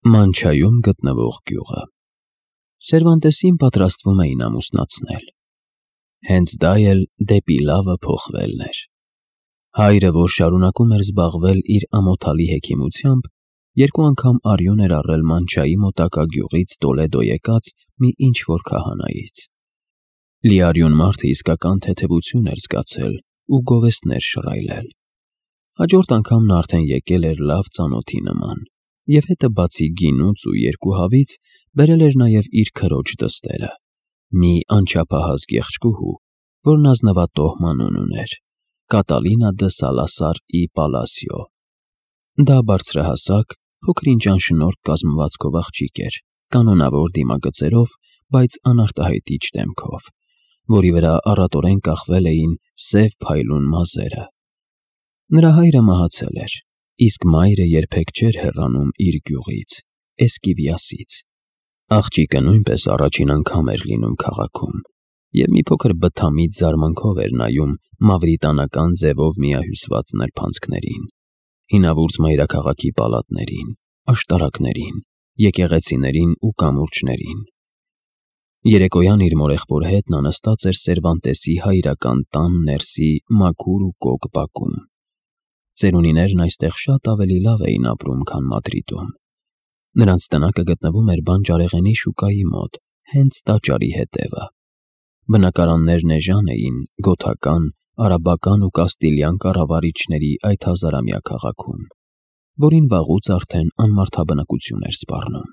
Մանչայում գտնվող գյուղը։ Սերվանտեսին պատրաստվում էին ամուսնացնել։ Հենց դա էլ դեպի լավը փոխվելն էր։ Հայրը, որ շարունակում էր զբաղվել իր ամոթալի հեքիմությամբ, երկու անգամ արյուն էր առել Մանչայի մոտակա գյուղից Տոլեդո եկած մի ինչ-որ քահանայից։ Լիարյուն մարդը իսկական թեթևություն էր զգացել ու գովեստներ շռայլել։ Հաջորդ անգամ նա արդեն եկել էր լավ ծանոթի նման, և հետը բացի գինուց ու երկու հավից բերել էր նաև իր քրոջ դստերը, մի անչափահաս գեղեցկուհու, որն ազնվատոհ մանուն ուներ՝ Կատալինա դը Սալասար ի Պալասիո։ Դա բարձրահասակ, փոքր-ինչ անշնորհք կազմվածքով աղջիկ էր, կանոնավոր դիմագծերով, բայց անարտահայտիչ դեմքով, որի վրա առատորեն կախվել էին սև փայլուն մազերը։ Նրա հայրը մահացել էր, իսկ մայրը երբեք չէր հեռանում իր գյուղից, Էսկիվիասից։ Աղջիկը նույնպես առաջին անգամ էր լինում քաղաքում, և մի փոքր բթամիտ զարմանքով էր նայում մավրիտանական ձևով միահյուսված նրբանցքներին, հինավուրց մայրաքաղաքի պալատներին, աշտարակներին, եկեղեցիներին ու կամուրջներին։ Երեկոյան իր մորեղբոր հետ նա նստած էր Սերվանտեսի հայրական տան ներսի մաքուր ու կոկ բակում։ Ծերունիներն այստեղ շատ ավելի լավ էին ապրում, քան Մադրիդում։ Նրանց տնակը գտնվում էր բանջարեղենի շուկայի մոտ, հենց տաճարի հետևը։ Բնակարաններն էժան էին գոթական, արաբական ու կաստիլյան կառավարիչների այդ հազարամյա քաղաքում, որին վաղուց արդեն անմարդաբնակություն էր սպառնում։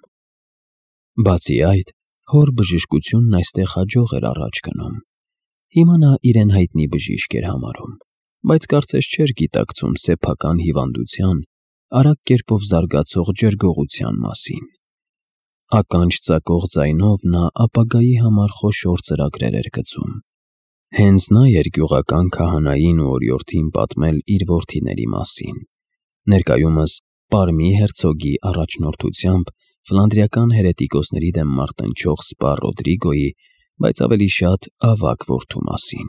Բացի այդ, հոր բժշկությունն այստեղ հաջող էր առաջ գնում։ Հիմա նա իրեն հայտնի բժիշկ էր համարում, բայց կարծես չէր գիտակցում սեփական հիվանդության, արագ կերպով զարգացող ջրգողության մասին։ Ականջ ծակող ձայնով նա ապագայի համար խոշոր ծրագրեր էր գծում։ Հենց նա էր գյուղական քահանային ու օրիորդին պատմել իր որդիների մասին, ներկայումս Պարմի հերցոգի առաջնորդությամբ ֆլանդրիական հերետիկոսների դեմ մարտնչող սպա Ռոդրիգոյի, բայց ավելի շատ ավագ որդու մասին։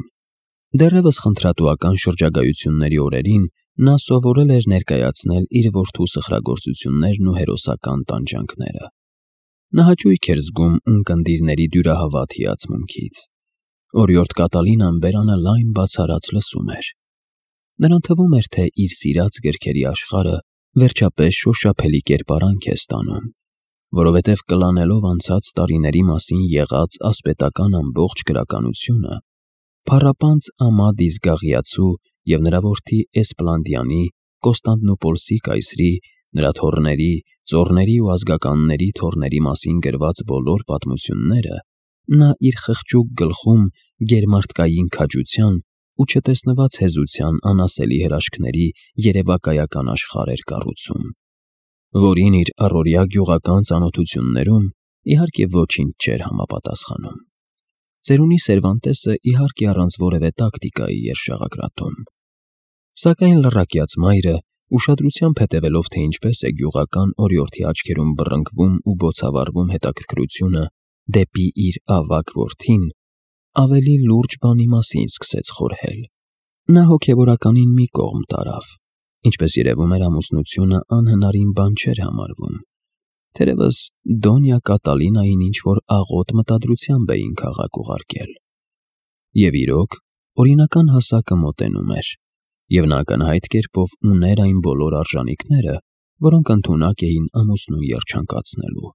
Դեռևս խնդրատուական շրջագայությունների օրերին նա սովորել էր ներկայացնել իր որդու սխրագործություններն ու հերոսական տանջանքները։ Նա հաճույք էր զգում ունկնդիրների դյուրահավատ հիացմունքից։ Օրիորդ Կատալինան բերանը լայն բացառած լսում էր։ Նրան թվում էր, թե իր սիրած գրքերի աշխարհը վերջապես շոշափելի կերպարանք է ստանում, որովհետև կլանելով անցած տարիների մասին եղած ասպետական ամբողջ գրականությունը, փառապանծ Ամադիս Գաղիացու և նրա որդի Էսպլանդիանի, Կոստանդնուպոլսի կայսրի, նրա թոռների, ծոռների ու ազգականների թոռների մասին գրված բոլոր պատմությունները նա իր խղճուկ գլխում գերմարդկային քաջության ու չտեսնված հեզության անասելի հրաշքների երևակայական աշխարհ էր կառուցում, որին իր առօրյա գյուղական ծանոթություններում իհարկե ոչինչ չէր համապատասխանում։ Ծերունի Սերվանտեսը իհարկե առանց որևէ տակտիկայի էր շաղակրատում։ Սակայն լռակյաց մայրը, ուշադրությամբ հետևելով, թե ինչպես է գյուղական օրիորդի աչքերում բռնկվում ու բոցավառվում հետաքրքրությունը դեպի իր ավագ որդին, ավելի լուրջ բանի մասին սկսեց խորհել։ Նա հոգևորականին մի կողմ տարավ, ինչպես երևում էր ամուսնությունը անհնարին բան չէր համարվում, թերևս Դոնյա Կատալինային ինչ-որ աղոտ մտադրությամբ էին քաղաք ուղարկել։ Եվ իրոք, օրինական հասակը մոտենում էր, և նա ակնհայտ կերպով ուներ այն բոլոր արժանինքները, որոնք ընդունակ էին ամուսնուն երջանկացնելու։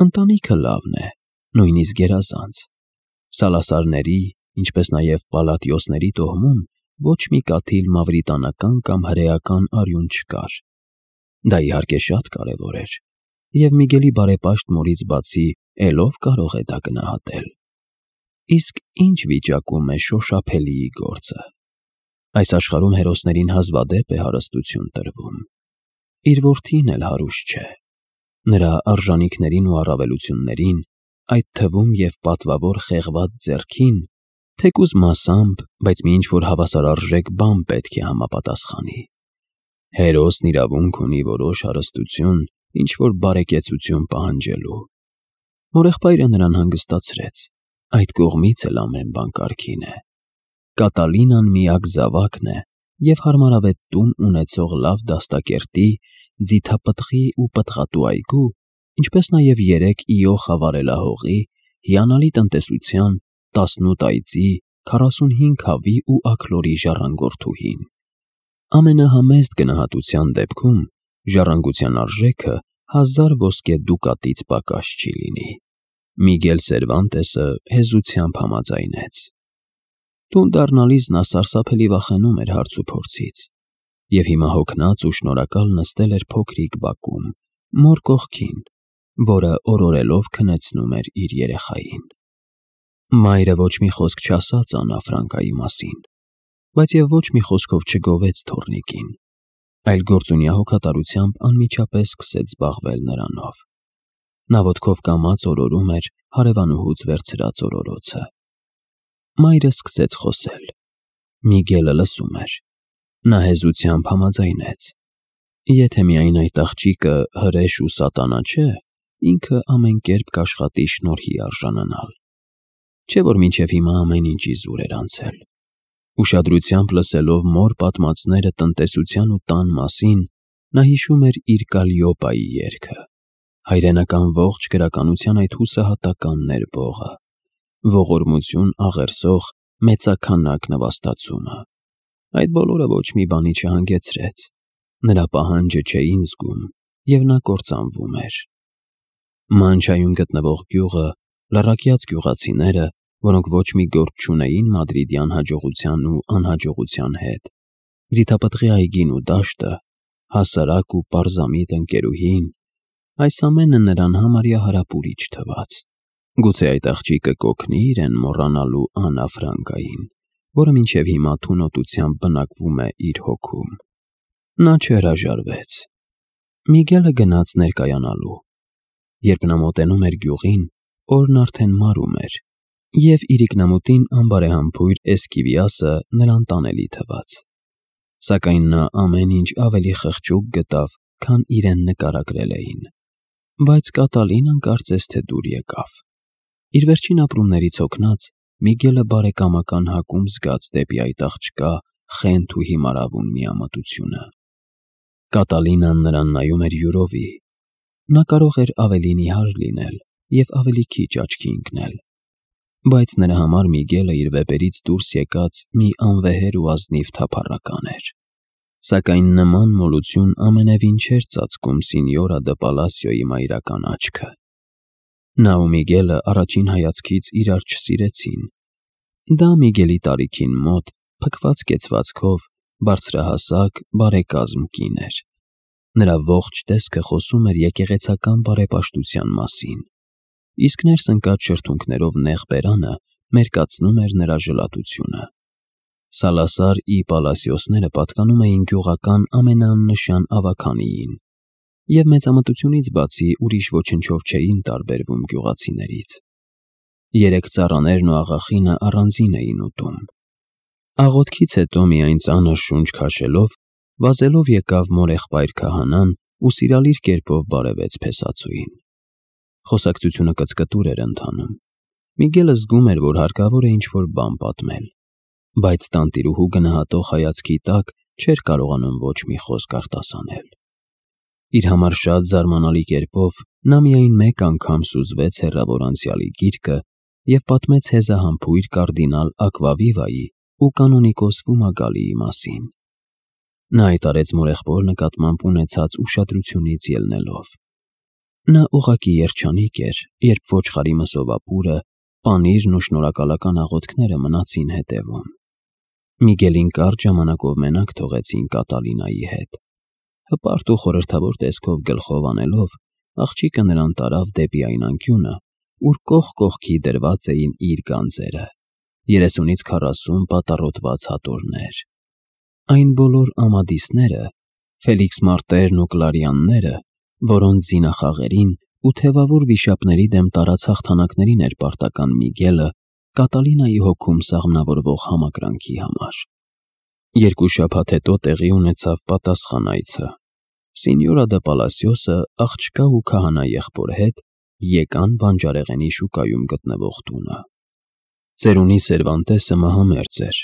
Ընտանիքը լավն է, նույնիսկ գերազանց։ Սալասարների, ինչպես նաև Պալատիոսների տոհմում ոչ մի կաթիլ մավրիտանական կամ հրեական արյուն չկար։ Դա իհարկե շատ կարևոր էր, և Միգելի բարեպաշտ մորից բացի ելով կարող է դա գնահատել։ Իսկ ինչ վիճակում է շոշափելիի գործը։ Այս աշխարհում հերոսներին հազվադեպ է հարստություն տրվում։ Իր որդին էլ հարուստ չէ։ Նրա արժանինքներին ու առավելություններին, այդ թվում և պատվավոր խեղված ձեռքին, թեկուզ մասամբ, բայց մի ինչ-որ հավասարարժեք բան պետք է համապատասխանի։ Հերոսն իրավունք ունի որոշ հարստություն, ինչ-որ բարեկեցություն պահանջելու։ Մորեղբայրը նրան հանգստացրեց, այդ կողմից էլ ամեն բան կարգին է։ Կատալինան միակ զավակն է և հարմարավետ տուն ունեցող լավ դաստակերտի ձիթապտղի ու պտղատու այգու, ինչպես նաև 3 իո խավարելահողի, հիանալի տնտեսության, 18 այծի, 45 հավի ու աքլորի ժառանգորդուհին։ Ամենահամեստ գնահատության դեպքում ժառանգության արժեքը 1000 ոսկե դուկատից պակաս չի լինի։ Միգել Սերվանտեսը հեզությամբ համաձայնեց։ Տուն դառնալիս նա սարսափելի վախենում էր հարց ու փորձից, և հիմա հոգնած ու շնորհակալ նստել էր փոքրիկ բակում, մոր կողքին, որը օրորելով քնեցնում էր իր երեխային։ Մայրը ոչ մի խոսք չասաց Աննա Ֆրանկայի մասին, բայց և ոչ մի խոսքով չգովեց թոռնիկին, այլ գործունյա հոգատարությամբ անմիջապես սկսեց զբաղվել նրանով։ Նա ոտքով կամաց օրորում էր հարևանուհուց վերցրած օրորոցը։ Մայրը սկսեց խոսել։ Միգելը լսում էր։ Նա հեզությամբ համաձայնեց. Եթե միայն այդ աղջիկը հրեշ ու սատանա չէ, ինքը ամեն կերպ կաշխատի շնորհի արժանանալ։ Չէ՞ որ մինչև հիմա ամեն ինչի զուր էր անցել։ Ուշադրությամբ լսելով մոր պատմածները տնտեսության ու տան մասին, նա հիշում էր իր Կալիոպայի երգը, հայրենական ողջ գրականության այդ հուսահատական ներբողը, ողորմություն աղերսող մեծաքանակ նվաստացումը։ Այդ բոլորը ոչ մի բանի չհանգեցրեց։ Նրա պահանջը չէին զգում, և նա կործանվում էր։ Մանչայում գտնվող գյուղը, լռակյաց գյուղացիները, որոնք ոչ մի գործ չունեին մադրիդյան հաջողության ու անհաջողության հետ, ձիթապտղի այգին ու դաշտը, հասարակ ու պարզամիտ ընկերուհին, այս ամենը նրան համարյա հարապուրիչ թվաց։ Գուցե այդ աղջիկը կօգնի իրեն մոռանալու Աննա Ֆրանկային, որը մինչև հիմա թունոտությամբ բնակվում է իր հոգում։ Նա չհրաժարվեց։ Միգելը գնաց ներկայանալու։ Երբ նա մոտենում էր գյուղին, օրն արդեն մարում էր, և իրիկնամուտին անբարեհամբույր Էսկիվիասը նրան տանելի թվաց։ Սակայն նա ամեն ինչ ավելի խղճուկ գտավ, քան իրեն նկարագրել էին։ Բայց Կատալինան կարծես թե դուր եկավ։ Իր վերջին ապրումներից հոգնած, Միգելը բարեկամական հակում զգաց դեպի այդ աղջկա խենթ ու հիմարավուն միամտությունը։ Կատալինան նրան նայում էր յուրովի։ Նա կարող էր ավելի նիհար լինել և ավելի քիչ աչքի ընկնել, բայց նրա համար Միգելը իր վեպերից դուրս եկած մի անվեհեր ու ազնիվ թափառական էր։ Սակայն նման մոլություն ամենևին չէր ծածկում Սինյորա դը Պալասիոյի մայրական աչքը։ Նա ու Միգելը առաջին հայացքից իրար չսիրեցին։ Դա Միգելի տարիքին մոտ, փքված կեցվածքով, բարձրահասակ, բարեկազմ կին էր։ Նրա ողջ տեսքը խոսում էր եկեղեցական բարեպաշտության մասին, իսկ ներս ընկած շրթունքներով նեղ բերանը մերկացնում էր նրա ժլատությունը։ Սալասար ի Պալասիոսները պատկանում էին գյուղական ամենաաննշան ավագանիին, և մեծամտությունից բացի ուրիշ ոչնչով չէին տարբերվում գյուղացիներից։ 3 ծառաներն ու աղախինը առանձին էին ուտում։ Աղոթքից հետո միայն ծանր շունչ քաշելով, վազելով եկավ մորեղբայր քահանան ու սիրալիր կերպով բարևեց փեսացուին։ Խոսակցությունը կծկտուր էր ընթանում։ Միգելը զգում էր, որ հարկավոր է ինչ-որ բան պատմել, բայց տանտիրուհու գնահատող հայացքի տակ չէր կարողանում ոչ մի խոսք արտասանել։ Իր համար շատ զարմանալի կերպով նա միայն մեկ անգամ սուզվեց հեռավոր անցյալի գիրկը և պատմեց հեզահամբույր կարդինալ Ակվավիվայի ու կանոնիկոս Ֆումագալիի մասին։ Նա այդ արեց մորեղբոր նկատմամբ ունեցած ուշադրությունից ելնելով։ Նա ուղղակի երջանիկ էր, երբ ոչխարի մսովապուրը, պանիրն ու շնորհակալական աղոթքները մնացին հետևում։ Միգելին կարճ ժամանակով մենակ թողեցին Կատալինայի հետ։ Հպարտ ու խորհրդավոր տեսքով գլխով անելով, աղջիկը նրան տարավ դեպի այն անկյունը, ուր կողք կողքի դրված էին իր գանձերը, 30-ից 40 պատառոտված հատորներ։ Այն բոլոր ամադիսները, Ֆելիքս Մարտերն ու Կլարիանները, որոնց զինախաղերին ու թևավոր վիշապների դեմ տարած հաղթանակներին էր պարտական Միգելը Կատալինայի հոգում սաղմնավորվող համակրանքի համար։ 2 շաբաթ հետո տեղի ունեցավ պատասխան այցը։ Սինյորա դը Պալասիոսը աղջկա ու քահանա եղբոր հետ եկան բանջարեղենի շուկայում գտնվող տունը։ Ծերունի Սերվանտեսը մահամերձ էր։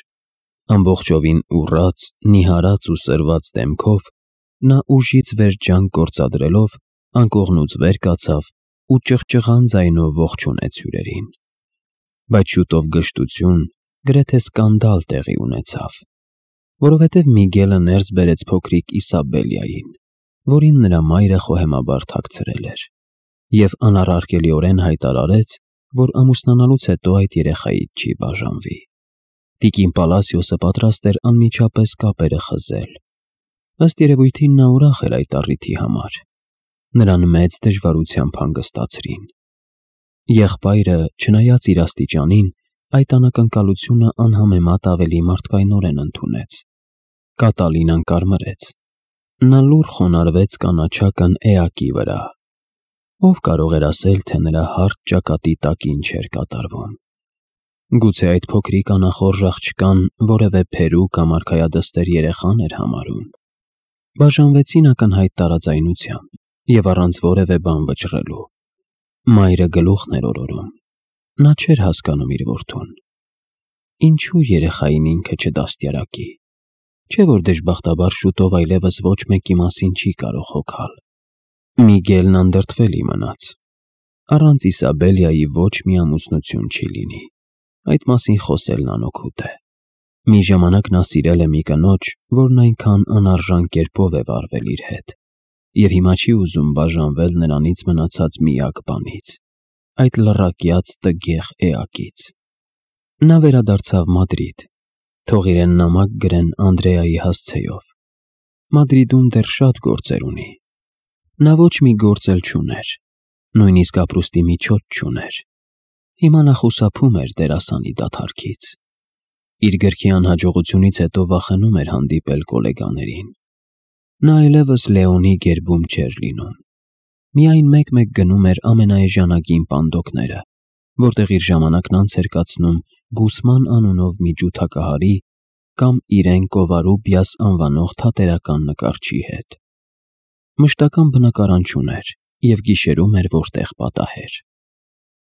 Ամբողջովին ուռած, նիհարած ու սրված դեմքով նա ուժից վեր ջանք գործադրելով անկողնուց վեր կացավ ու ճղճղան ձայնով ողջունեց հյուրերին։ Բայց շուտով գժտություն, գրեթե սկանդալ տեղի ունեցավ, որովհետև Միգելը ներս բերեց փոքրիկ Իսաբելիային, որին նրա մայրը խոհեմաբար թաքցրել էր, և անառարկելիորեն հայտարարեց, որ ամուսնանալուց հետո այդ երեխայից չի բաժանվի։ Տիկին Պալասիոսը պատրաստ էր անմիջապես կապերը խզել։ Ըստ երևույթին նա ուրախ էր այդ առիթի համար։ Նրան մեծ դժվարությամբ հանգստացրին։ Եղբայրը, չնայած իր աստիճանին, այդ անակնկալությունը անհամեմատ ավելի մարդկայնորեն ընդունեց։ Կատալինան կարմրեց։ Նա լուռ խոնարհվեց կանաչական էակի վրա։ Ով կարող էր ասել, թե նրա հարթ ճակատի տակ ինչ էր կատարվում։ Գուցե այդ փոքրիկ անախորժ աղջկան որևէ փերու կամ արքայադստեր երեխան էր համարում։ Բաժանվեցին ակնհայտ տարաձայնությամբ և առանց որևէ բան վճռելու։ Մայրը գլուխն էր օրորում։ Նա չէր հասկանում իր որդուն։ Ինչու երեխային ինքը չդաստիարակի։ Չէ՞ որ դժբախտաբար շուտով այլևս ոչ մեկի մասին չի կարող հոգալ։ Միգելն անդրդվելի մնաց։ Առանց Իսաբելիայի ոչ մի ամուսնություն չի լինի։ Այդ մասին խոսելն անօգուտ է։ Մի ժամանակ նա սիրել է մի կնոջ, որն այնքան անարժան կերպով է վարվել իր հետ, և հիմա չի ուզում բաժանվել նրանից մնացած միակ բանից, այդ լռակյաց տգեղ էակից։ Նա վերադարձավ Մադրիդ, թող իրեն նամակ գրեն Անդրեայի հասցեով։ Մադրիդում դեռ շատ գործեր ունի։ Նա ոչ մի գործ էլ չուներ, նույնիսկ ապրուստի միջոց չուներ։ Հիմա նա խուսափում էր դերասանի դադարքից։ Իր գրքի անհաջողությունից հետո վախենում էր հանդիպել գոլեգաներին։ Նա այլևս Լեոնի գերբում չէր լինում։ Միայն մեկ-մեկ գնում էր ամենաէժանագին պանդոկները, որտեղ իր ժամանակն անց էր կացնում Գուսման անունով մի ջութակահարի կամ իրեն Կովարուբիաս անվանող թատերական նկարչի հետ։ Մշտական բնակարան չուներ և գիշերում էր որտեղ պատահեր։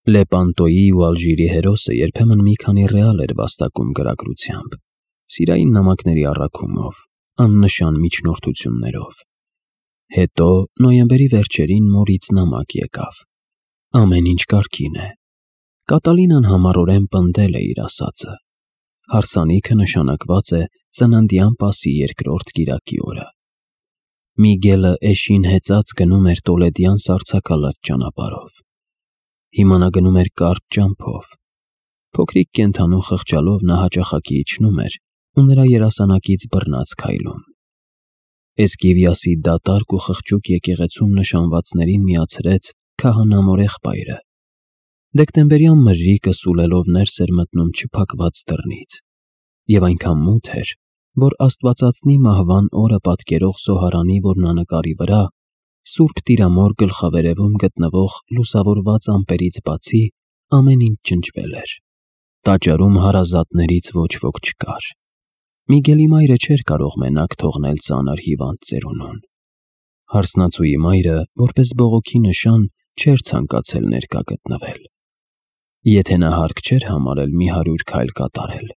Լեպանտոյի ու Ալժիրի հերոսը երբեմն մի քանի ռեալ էր վաստակում գրագրությամբ, սիրային նամակների առաքումով, աննշան միջնորդություններով։ Հետո նոյեմբերի վերջերին մորից նամակ եկավ։ Ամեն ինչ կարգին է։ Կատալինան համառորեն պնդել է իր ասածը։ Հարսանիքը նշանակված է ծննդյան պասի երկրորդ կիրակի օրը։ Միգելը էշին հեծած գնում էր Տոլեդյան սառցակալած ճանապարհով։ Հիմա նա գնում էր կարճ ճամփով։ Փոքրիկ կենդանու խղճալով նա հաճախակի իջնում էր ու նրա երասանակից բռնած քայլում։ Էսկիվիասի դատարկ ու խղճուկ եկեղեցում նշանվածներին միացրեց քահանա եղբայրը։ Դեկտեմբերյան մրրիկը սուլելով ներս էր մտնում չփակված դռնից, և այնքան մութ էր, որ Աստվածածնի մահվան օրը պատկերող զոհարանի որմնանկարի վրա Սուրբ Տիրամոր գլխավերևում գտնվող լուսավորված ամպերից բացի ամեն ինչ ջնջվել էր։ Տաճարում հարազատներից ոչ ոք չկար։ Միգելի մայրը չէր կարող մենակ թողնել ծանր հիվանդ ծերունուն։ Հարսնացուի մայրը, որպես բողոքի նշան, չէր ցանկացել ներկա գտնվել։ Եթե նա հարկ չէր համարել մի 100 քայլ կատարել,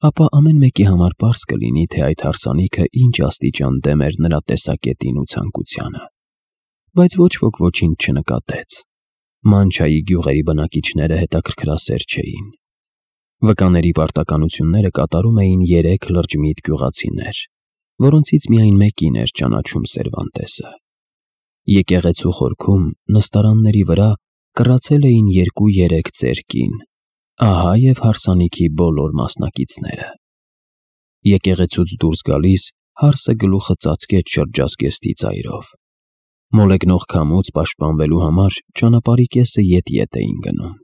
ապա ամեն մեկի համար պարզ կլինի, թե այդ հարսանիքը ինչ աստիճան դեմ էր նրա տեսակետին ու ցանկությանը։ Բայց ոչ ոք ոչինչ չնկատեց։ Մանչայի գյուղերի բնակիչները հետաքրքրասեր չէին։ Վկաների պարտականությունները կատարում էին 3 լրջմիտ գյուղացիներ, որոնցից միայն մեկին էր ճանաչում Սերվանտեսը։ Եկեղեցու խորքում նստարանների վրա կռացել էին 2-3 ծեր կին, ահա և հարսանիքի բոլոր մասնակիցները։ Եկեղեցուց դուրս գալիս հարսը գլուխը ծածկեց շրջազգեստի ծայրով։ Մոլեգնող քամուց պաշտպանվելու համար ճանապարհի կեսը ետ-ետ էին գնում։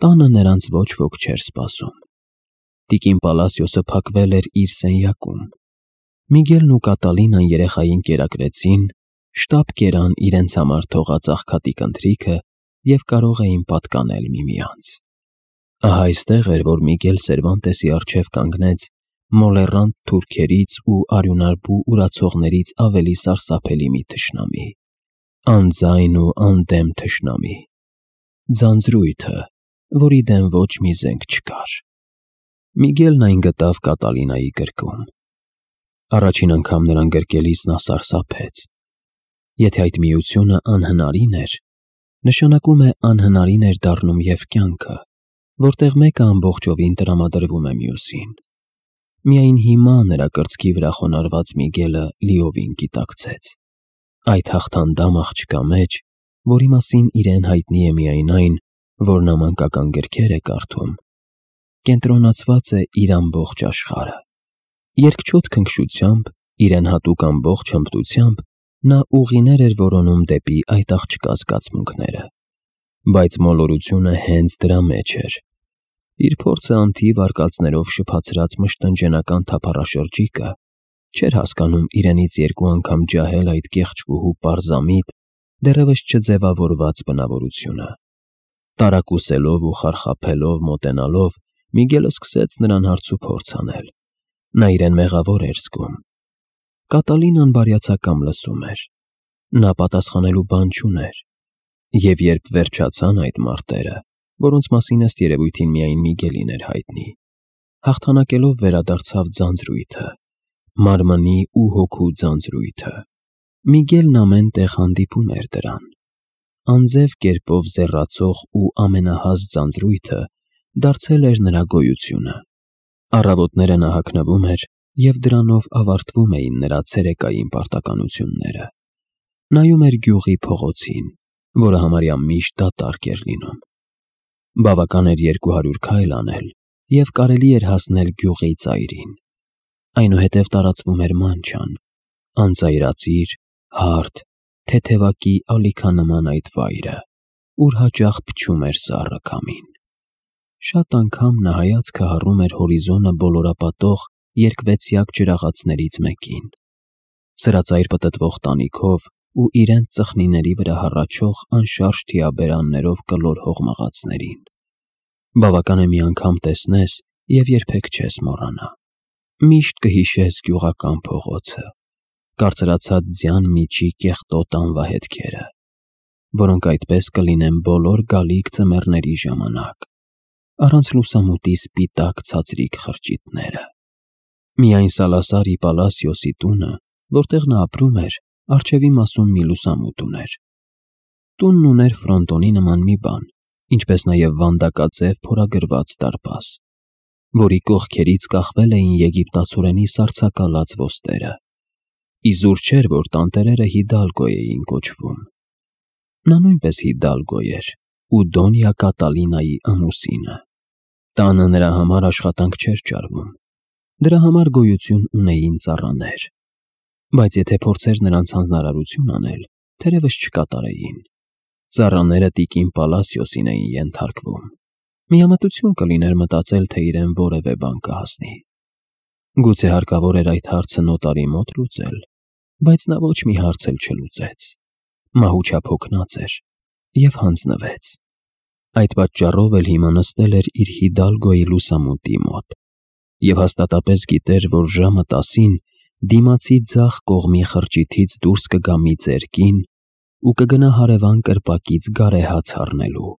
Տանը նրանց ոչ ոք չէր սպասում։ Տիկին Պալասիոսը փակվել էր իր սենյակում։ Միգելն ու Կատալինան երեխային կերակրեցին, շտապ կերան իրենց համար թողած աղքատիկ ընթրիքը և կարող էին պատկանել միմյանց։ Ահա այստեղ էր, որ Միգել Սերվանտեսի առջև կանգնեց մոլեռանդ թուրքերից ու արյունարբու ուրացողներից ավելի սարսափելի մի թշնամի, անձայն ու անդեմ թշնամի, ձանձրույթը, որի դեմ ոչ մի զենք չկար։ Միգելն այն գտավ Կատալինայի գրկում։ Առաջին անգամ նրան գրկելիս նա սարսափեց։ Եթե այդ միությունը անհնարին էր, նշանակում է անհնարին էր դառնում և կյանքը, որտեղ մեկը ամբողջովին տրամադրվում է մյուսին։ Միայն հիմա նրա կրծքի վրա խոնարհված Միգելը լիովին գիտակցեց։ Այդ հաղթանդամ աղջկա մեջ, որի մասին իրեն հայտնի է միայն այն, որ նա մանկական գրքեր է կարդում, կենտրոնացված է իր ամբողջ աշխարհը։ Երկչոտ քնքշությամբ, իրեն հատուկ ամբողջ հմտությամբ նա ուղիներ էր որոնում դեպի այդ աղջկա զգացմունքները, բայց մոլորությունը հենց դրա մեջ էր։ Իր փորձը անթիվ արկածներով շփացրած մշտնջենական թափառաշրջիկը չէր հասկանում իրենից երկու անգամ ջահել այդ կեղճկուհու պարզամիտ, դեռևս չձևավորված բնավորությունը։ Տարակուսելով ու խարխափելով մոտենալով, Միգելը սկսեց նրան հարցուփորձ անել։ Նա իրեն մեղավոր էր զգում։ Կատալինան բարյացակամ լսում էր։ Նա պատասխանելու բան չուներ։ Եվ երբ վերջացան այդ մարտերը, որոնց մասին ըստ երևույթին միայն Միգելին էր հայտնի, հաղթանակելով վերադարձավ ձանձրույթը, մարմնի ու հոգու ձանձրույթը։ Միգելն ամեն տեղ հանդիպում էր դրան։ Անձև կերպով զեռացող ու ամենահաս ձանձրույթը դարձել էր նրա գոյությունը։ Առավոտները նա հագնվում էր, և դրանով ավարտվում էին նրա ցերեկային պարտականությունները։ Նայում էր գյուղի փողոցին, որը համարյա միշտ դատարկ էր լինում։ Բավական էր 200 քայլ անել, և կարելի էր հասնել գյուղի ծայրին։ Այնուհետև տարածվում էր մանչան, անծայրածիր, հարթ, թեթևակի ալիքանման այդ վայրը, ուր հաճախ փչում էր սառը քամին։ Շատ անգամ նա հայացքը հառում էր հորիզոնը բոլորապատող երկվեցյակ ջրաղացներից մեկին, սրածայր պտտվող տանիքով ու իրենց ծխնիների վրա հառաչող անշարժ թիաբերաններով կլոր հողմաղացներին։ Բավական է մի անգամ տեսնես և երբեք չես մոռանա։ Միշտ կհիշես գյուղական փողոցը, կարծրացած ձյան միջի կեղտոտ անվահետքերը, որոնք այդպես կլինեն բոլոր գալիք ձմեռների ժամանակ, առանց լուսամուտի սպիտակ ցածրիկ խրճիթները։ Միայն Սալասար ի Պալասիոսի տունը, որտեղ նա ապրում էր, առջևի մասում մի լուսամուտ ուներ։ Տունն ուներ ֆրոնտոնի նման մի բան, ինչպես նաև վանդակաձև փորագրված դարպաս, որի կողքերից կախվել էին եգիպտացորենի սառցակալած ոստերը։ Իզուր չէր, որ տանտերերը Հիդալգո էին կոչվում։ Նա նույնպես Հիդալգո էր ու Դոնյա Կատալինայի ամուսինը։ Տանը նրա համար աշխատանք չէր ճարվում։ Դրա համար գոյություն ունեին ծառաներ։ Բայց եթե փորձեր նրանց հանձնարարություն անել, թերևս չկատարեին։ Ծառաները տիկին Պալասիոսին էին ենթարկվում։ Միամտություն կլիներ մտածել, թե իրեն որևէ բան կհասնի։ Գուցե հարկավոր էր այդ հարցը նոտարի մոտ լուծել, բայց նա ոչ մի հարց էլ չլուծեց։ Մահուչափ հոգնած էր և հանձնվեց։ Այդ պատճառով էլ հիմա նստել էր իր Հիդալգոյի լուսամուտի մոտ և հաստատապես գիտեր, որ ժամը 10-ին դիմացի ձախ կողմի խրճիթից դուրս կգա մի ծերկին ու կգնա հարևան կրպակից գարեհաց առնելու,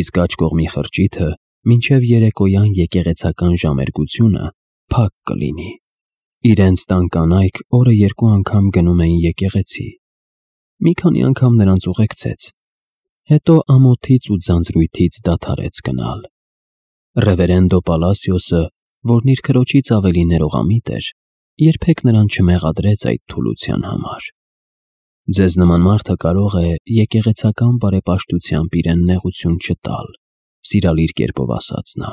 իսկ աջ կողմի խրճիթը մինչև երեկոյան եկեղեցական ժամերգությունը փակ կլինի։ Իրենց տան կանայք օրը 2 անգամ գնում էին եկեղեցի։ Մի քանի անգամ նրանց ուղեկցեց, հետո ամոթից ու ձանձրույթից դադարեց գնալ։ Ռևերենդո Պալասիոսը, որն իր քրոջից ավելի ներողամիտ էր, երբեք նրան չմեղադրեց այդ թուլության համար։ Ձեզ նման մարդը կարող է եկեղեցական բարեպաշտությամբ իրեն նեղություն չտալ, սիրալիր կերպով ասաց նա։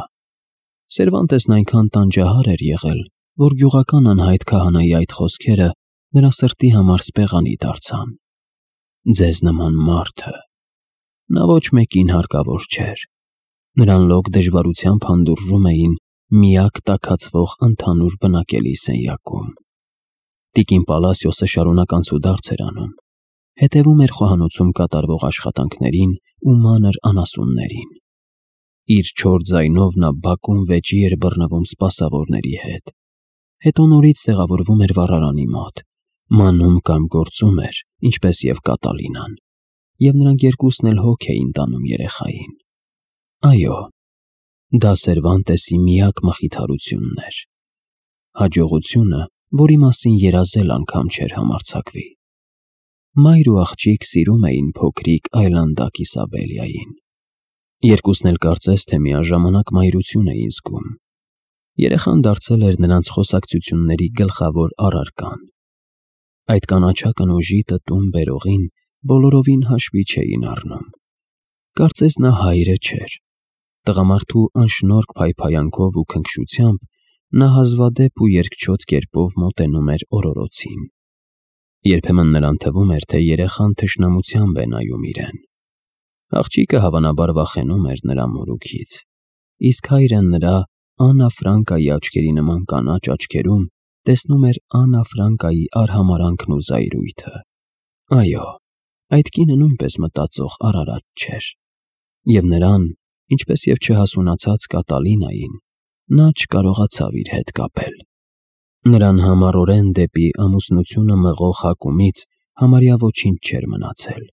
Սերվանտեսն այնքան տանջահար էր եղել, որ գյուղական անհայտ քահանայի այդ խոսքերը նրա սրտի համար սպեղանի դարձան։ Ձեզ նման մարդը։ Նա ոչ մեկին հարկավոր չէր։ Նրան լոկ դժվարությամբ հանդուրժում էին միակ տաքացվող ընդհանուր բնակելի սենյակում։ Տիկին Պալասիոսը շարունակ անցուդարձ էր անում, հետևում էր խոհանոցում կատարվող աշխատանքներին ու մանր անասուններին։ Իր չոր ձայնով նա բակում վեճի էր բռնվում սպասավորների հետ, հետո նորից տեղավորվում էր վառարանի մոտ, մանում կամ գործում էր, ինչպես և Կատալինան, և նրանք երկուսն էլ հոգ էին տանում երեխային։ Այո, դա Սերվանտեսի միակ մխիթարությունն էր։ Հաջողությունը որի մասին երազել անգամ չէր համարձակվի։ Մայր ու աղջիկ սիրում էին փոքրիկ այլանդակ Իսաբելիային։ Երկուսն էլ կարծես թե միաժամանակ մայրություն էին զգում։ Երեխան դարձել էր նրանց խոսակցությունների գլխավոր առարկան։ Այդ կանաչա կնոժի տտում բերողին բոլորովին հաշվի չէին առնում։ Կարծես նա հայրը չէր։ Տղամարդու անշնորհք փայփայանքով ու քնքշությամբ նա հազվադեպ ու երկչոտ կերպով մոտենում էր օրորոցին։ Երբեմն նրան թվում էր, թե երեխան թշնամությամբ է նայում իրեն։ Աղջիկը հավանաբար վախենում էր նրա մորուքից, իսկ հայրը նրա Աննա Ֆրանկայի աչքերի նման կանաչ աչքերում տեսնում էր Աննա Ֆրանկայի արհամարանքն ու զայրույթը։ Այո, այդ կինը նույնպես մտածող արարած չէր, և նրան, ինչպես և չհասունացած Կատալինային, նա չկարողացավ իր հետ կապել։ Նրան համառորեն դեպի ամուսնությունը մղող հակումից համարյա ոչինչ չէր մնացել,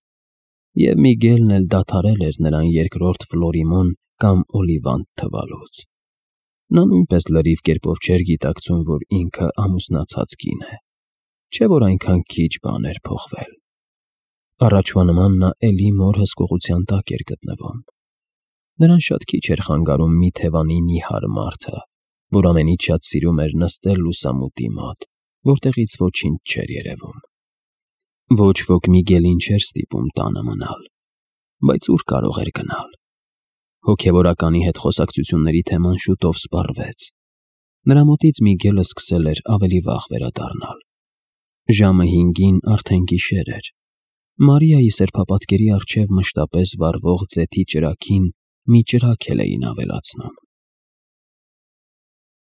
և Միգելն էլ դադարել էր նրան երկրորդ Ֆլորիմոն կամ Օլիվանդ թվալուց։ Նա նույնպես լրիվ կերպով չէր գիտակցում, որ ինքը ամուսնացած կին է, չէ՞ որ այնքան քիչ բան էր փոխվել։ Առաջվա նման նա էլի մոր հսկողության տակ էր գտնվում։ Նրան շատ քիչ էր խանգարում մի թևանի նիհար մարդը, որ ամենից շատ սիրում էր նստել լուսամուտի մոտ, որտեղից ոչինչ չէր երևում։ Ոչ ոք Միգելին չէր ստիպում տանը մնալ, բայց ուր կարող էր գնալ։ Հոգևորականի հետ խոսակցությունների թեման շուտով սպառվեց։ Նրա մոտից Միգելը սկսել էր ավելի վաղ վերադառնալ։ Ժամը 5-ին արդեն գիշեր էր։ Մարիայի սրբապատկերի առջև մշտապես վառվող ձեթի ճրագին մի ճրագ էլ էին ավելացնում։